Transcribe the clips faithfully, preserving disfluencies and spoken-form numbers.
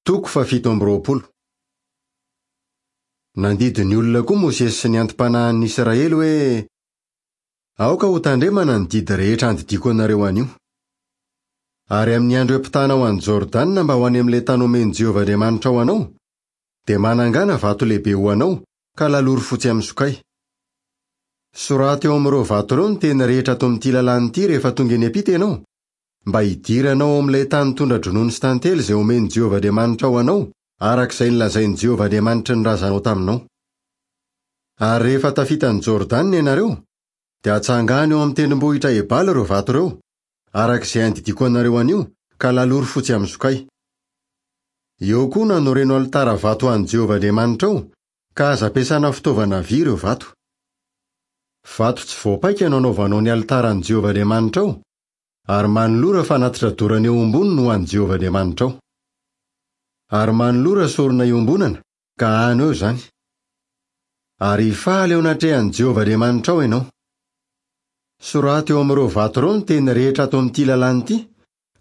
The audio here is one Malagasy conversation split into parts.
Toko fahafito amby roapolo. Nandidy ny olona koa Mosesy sy ny anti-panahin'ny Israely hoe: Aoka ho tandremana ny didy rehetra andidiako anareo anio. Ary amin'ny andro hiampitana ho an'i Jordana mba ho any amin'ilay tany omen'i Jehovah Andriamanitrao anao, dia manangàna vato lehibe ho anao ka lalory fotsy amin'ny sokay. Soraty eo amin'ireo vato ireo ny teny rehetra ato amin'ity lalàna ity rehefa tonga eny am-pita ianao, mba hidiranao ao amin'ilay tany tondra-dronono sy tantely izay omen'i Jehovah Andriamanitrao anao, araka izay nolazain'i Jehovah Andriamanitry ny razanao taminao. Ary rehefa tafita an'i Jordana ianareo, dia atsangano eo amin'ny tendrombohitra Ebala ireo vato ireo, araka izay andidiako anareo anio, ka lalory fotsy amin'ny sokay. Eo koa no anoreno alitara vato ho an'i Jehovah Andriamanitrao, ka aza ampiasana fitaovana vy ireo vato. Vato tsy voapaika no anaovanao ny alitaran'i Jehovah Andriamanitrao, ary manolora fanatitra dorana eo amboniny ho an'i Jehovah Andriamanitrao. Ary manolora sorona iombonana, ka hano eo izany. Ary hifaly eo anatrehan'i Jehovah Andriamanitrao ianao. Soraty eo amin'ireo vato ireo ny teny rehetra ato amin'ity lalàna ity,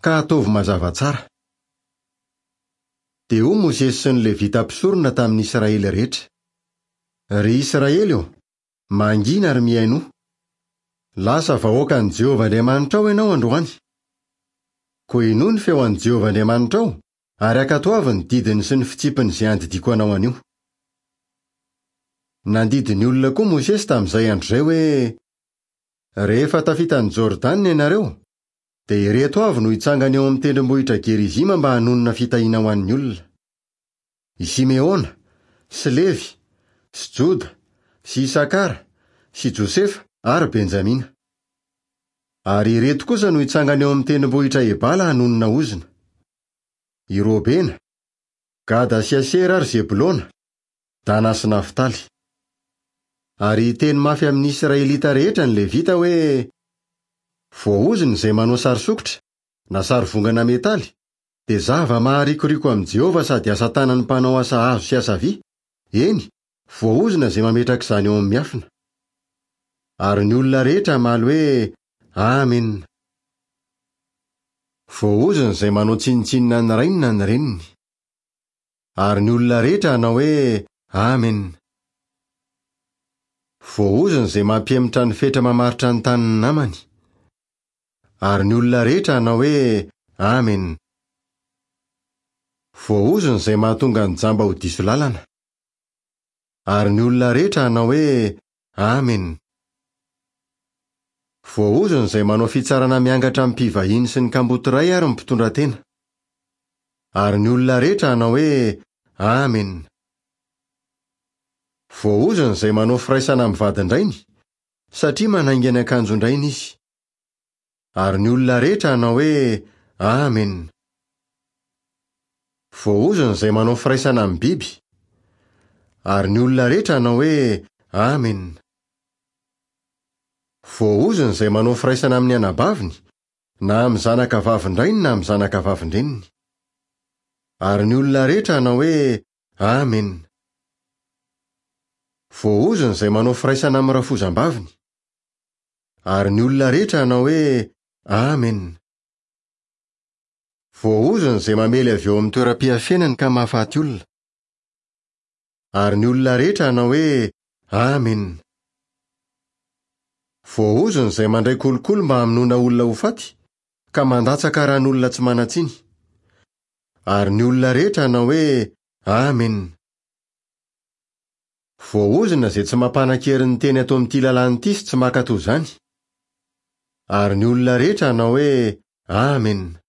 ka ataovy mazava tsara. Dia hoy Mosesy sy ny Levita mpisorona tamin'ny Israely rehetra: Ry Israely ô, mangina ary mihainoa. Lasa vahoakan'i Jehovah Andriamanitrao ianao androany. Koa henoy ny feo an'i Jehovah Andriamanitrao, ary ankatoavy ny didiny sy ny fitsipiny izay andidiako anao anio. Nandidy ny olona koa Mosesy tamin'izay andro izay hoe: Rehefa tafita an'i Jordana ianareo, dia ireto avy no hitsangana eo amin'ny tendrombohitra Gerizima mba hanonona fitahiana ho an'ny olona: I Simeona, sy Levy, sy Joda, sy Isakara, sy Josefa ary Benjamina. Ary ireto kosa no hitsangana eo amin'ny tendrombohitra Ebala hanonona ozona: I Robena, Gada sy Asera ary Zebolona, Dana sy Naftaly. Ary hiteny mafy amin'ny Israelita rehetra ny Levita hoe: Voaozona izay manao sary sokitra na sary vongana metaly, dia zava-maharikoriko amin'i Jehovah sady asa tanan'ny mpanao asa hazo sy asa vy, eny, voaozona izay mametraka izany eo amin'ny miafina. Ary ny olona rehetra hamaly hoe: Amena. Voaozona izay manao tsinontsinona ny rainy na ny reniny. Ary ny olona rehetra hanao hoe: Amena. Voaozona izay mampihemotra ny fetra mamaritra ny tanin'ny namany. Ary ny olona rehetra hanao hoe: Amena. Voaozona izay mahatonga ny jamba ho diso lalana. Ary ny olona rehetra hanao hoe: Amena. Voaozona izay manao fitsarana miangatra amin'ny mpivahiny sy ny kamboty ray ary ny mpitondra tena. Ary ny olona rehetra hanao hoe: Amena. Voaozona izay manao firaisana amin'ny vadin-drainy, satria manainga ny akanjon-drainy izy. Ary ny olona rehetra hanao hoe: Amena. Voaozona izay manao firaisana amin'ny biby. Ary ny olona rehetra hanao hoe: Amena. Voaozona izay manao firaisana amin'ny anabaviny, na amin'ny zanaka vavin-drainy na amin'ny zanaka vavin-dreniny. Ary ny olona rehetra hanao hoe: Amena. Voaozona izay manao firaisana amin'ny rafozam-baviny. Ary ny olona rehetra hanao hoe: Amena. Voaozona izay mamely avy eo amin'ny toeram-piafenany ka mahafaty olona. Ary ny olona rehetra hanao hoe: Amena. Voaozona izay mandray kolikoly mba hamonoana olona ho faty, ka mandatsaka ran'olona tsy manan-tsiny. Ary ny olona rehetra hanao hoe: Amena. Voaozona izay tsy mampanan-kery ny teny ato amin'ity lalàna ity sy tsy mankatò izany. Ary ny olona rehetra hanao hoe: Amena.